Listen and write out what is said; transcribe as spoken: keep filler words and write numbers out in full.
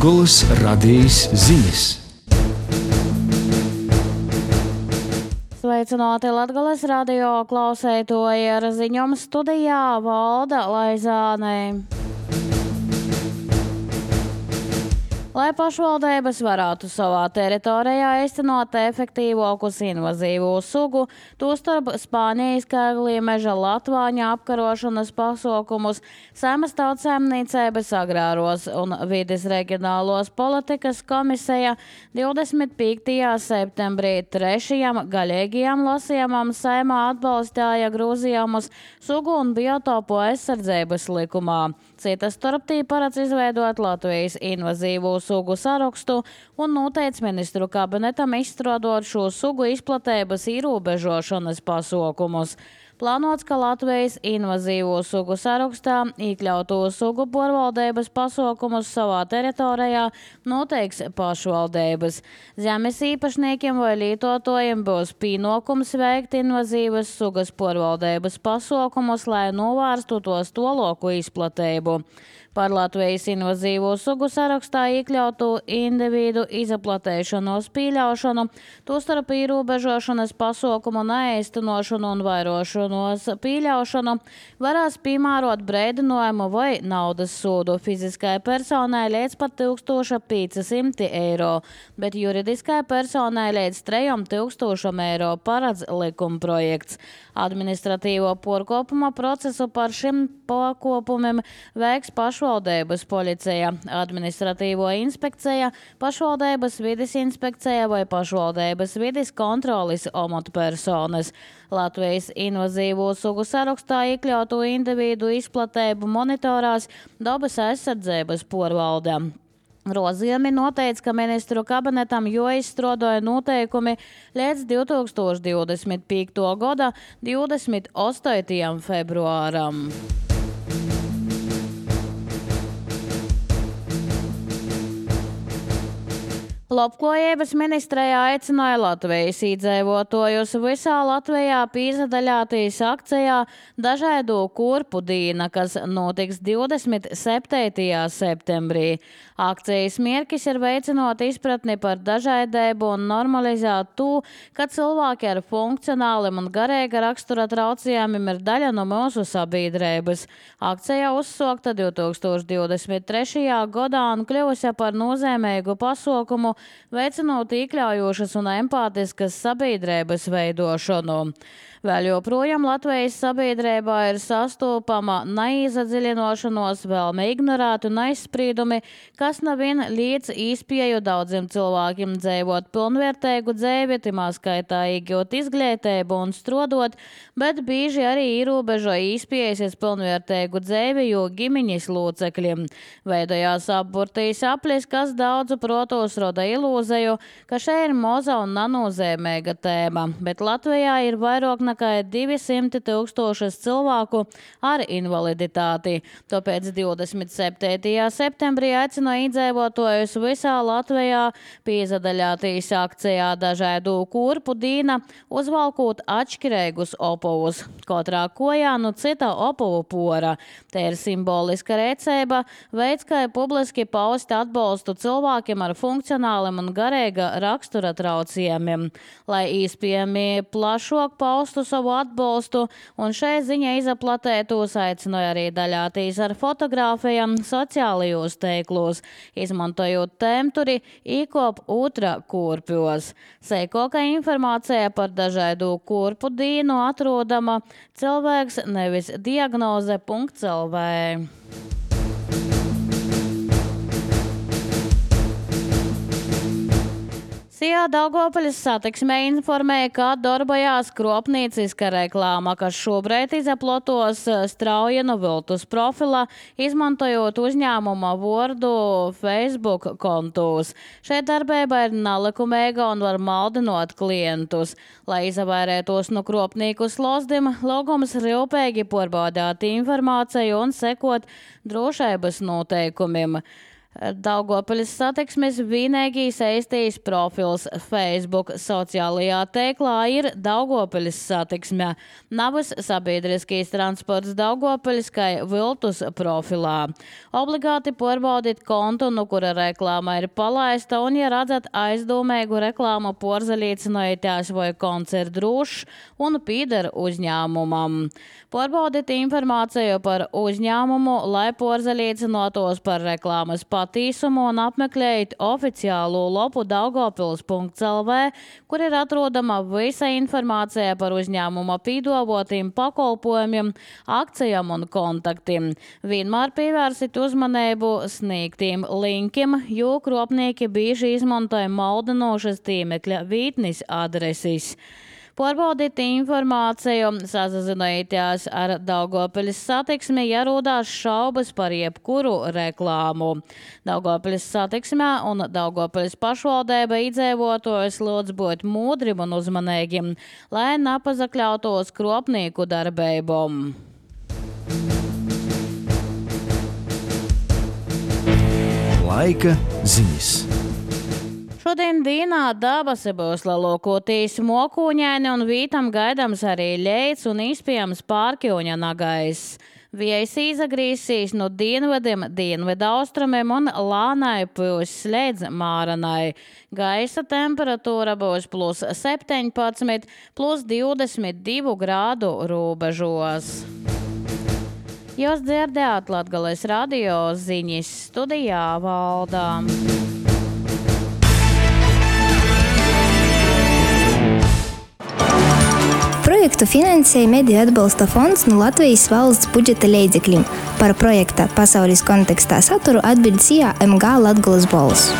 Latgolas radijas ziņas. Sveicināti Latgolas radio klausētoji, ar ziņām studijā Valda Laizāne. Lai pašvaldības varētu savā teritorijā īstenot efektīvākus invazīvu sugu, tostarp Spānijas Kēglīmeža latvāņa apkarošanas pasākumus, Saeimas Tautsaimniecības agrāros un vides reģionālos politikas komisija divdesmit piektajā septembrī trešajam gaļīgajam lasījumam Saeimā atbalstīja grozījumus sugu un biotopu aizsardzības likumā. Citas starptī paredz izveidot Latvijas invazīvu sugu sarakstu un noteic ministru kabinetam izstrādāt šo sugu izplatības ierobežošanas pasākumus. Plānots, ka Latvijas invazīvo sugu sarakstā iekļauto sugu porvaldības pasākumus savā teritorijā noteiks pašvaldības. Zemes īpašniekiem vai lietotājiem būs pienākums veikt invazīvas sugas porvaldības pasākumus, lai novērstu tos tālāku izplatību. Par Latvijas invazīvo sugu sarakstā iekļautu individu izaplatēšanos pieļaušanu, tostarp ierobežošanas pasākumu neīstenošanu un vairošanos pieļaušanu varēs piemērot brīdinājumu vai naudas sodu fiziskai personai līdz pat tūkstoš piecsimt eiro, bet juridiskai personai līdz trīs tūkstošiem eiro paredz likumprojekts. Administratīvo pārkāpuma procesu par šim pārkāpumiem veiks pašvaldības policija, administratīvo inspekcija, pašvaldības vides inspekcija vai pašvaldības vides kontroles amatpersonas. Latvijas invazīvo sugu sarakstā iekļautu individu izplatību monitorās dabas aizsardzības porvalde. Grozījumi noteica, ka ministru kabinetam jāizstrādā noteikumi līdz divtūkstoš divdesmit piektajā gada divdesmit astotajam februāram. Labklājības ministrijā aicināja Latvijas iedzīvotājus visā Latvijā piedalīties akcijā Dažādu kurpu diena, kas notiks divdesmit septītajā septembrī. Akcijas mērķis ir veicināt izpratni par dažādību un normalizēt to, ka cilvēki ar funkcionāliem un garīga rakstura traucējumiem ir daļa no mūsu sabiedrības. Akcija uzsākta divtūkstoš divdesmit trešajā gadā un kļuvusi par nozīmīgu pasākumu, veicinot iekļaujošas un empātiskas sabiedrības veidošanu. Vēl joprojām Latvijas sabiedrībā ir sastopama neiezadziļinošanos, vēlme ignorēt un aizspriedumi, kas nevien liedz īspēju daudziem cilvēkiem dzīvot pilnvērtīgu dzīvi, timā skaitā iegūt izglītību un strādāt, bet bieži arī ierobežo īspējas pilnvērtīgu dzīvi, jo ģimeņas locekļiem. Veidojās apburtīs aplis, kas daudzu protos roda ilūziju, ka šeit ir moza un nenozīmīga tēma, bet Latvijā ir vairāk nekā divsimt tūkstošas cilvēku ar invaliditāti. Tāpēc divdesmit septītajā septembrī aicināja iedzīvotājus visā Latvijā piedalīties akcijā Dažādu kurpu diena, uzvalkot atšķirīgus opuvus. Katrā kojā no cita opuvu pora. Te ir simboliska rīcība, veids, kā publiski paust atbalstu cilvēkiem ar funkcionāliem un garīga rakstura traucējumiem, lai īspējami plašāk paustu savu atbalstu, un šai ziņa izaplatētos aicināja arī daļāties ar fotogrāfijām sociālajos teiklos, izmantojot tēmturi īkop otra kurpjos. Seikoka informācija par Dažādu kurpu dienu atrodama cilvēks nevis diagnoze punkt el vē. Sijā Daugavpils satiksmē informēja, ka darbojās kropnīciska reklāma, kas šobrīd izaplotos Straujenu viltus profilā, izmantojot uzņēmuma vārdu Facebook kontos. Šeit darbība ir nelikumīga un var maldinot klientus. Lai izvairētos no kropnīku slozdim, lūgums rūpīgi pārbaudīt informāciju un sekot drošības noteikumiem. Daugavpils satiksmes vienīgais Eistijas profils Facebook sociālajā tēklā ir Daugavpils satiksme. Navas sabiedriskais transports Daugavpils kā viltus profilā. Obligāti pārbaudīt kontu, no kura reklāma ir palaista, un, ja redzat aizdomīgu reklāmu porzaļīcinojotās vai konts ir drošs un pīder uzņēmumam. Pārbaudīt informāciju par uzņēmumu, lai porzaļīcinotos par reklāmas patīsumu un apmeklējot oficiālo lopu daugavpils punkts el vē, kur ir atrodama visa informācija par uzņēmuma pīdovotiem pakalpojumiem, akcijām un kontaktiem. Vienmēr pievērsit uzmanību sniegtiem linkiem, jo kropnieki bieži izmantoja maldinošas tīmekļa vītnes adreses. Pārbaudīt informāciju, sazināties ar Daugavpils satiksmi, ja rodās šaubas par jebkuru reklāmu. Daugavpils satiksmē un Daugavpils pašvaldība iedzīvotājus lūdz būt mūdrim un uzmanīgiem, lai nepazakļautos kropnieku darbībām. Laika ziņas. Šodien dienā dabasi būs lielākoties mokūņaini un vītam gaidams arī ļeids un iespējams pārkļūņa nagais. Vējs izagrīsīs no dienvidiem, dienvidu austrumiem un lānai pūs līdz māranai. Gaisa temperatūra būs plus septiņpadsmit, plus divdesmit divi grādu robežos. Jūs dzirdējāt Latgales radio ziņas, studijā Valdā. Projektu finansēja Mediju atbalsta fonds no Latvijas valsts budžeta līdzekļiem. Par projekta pasaules kontekstā saturu atbild S I A M G Latgales balss.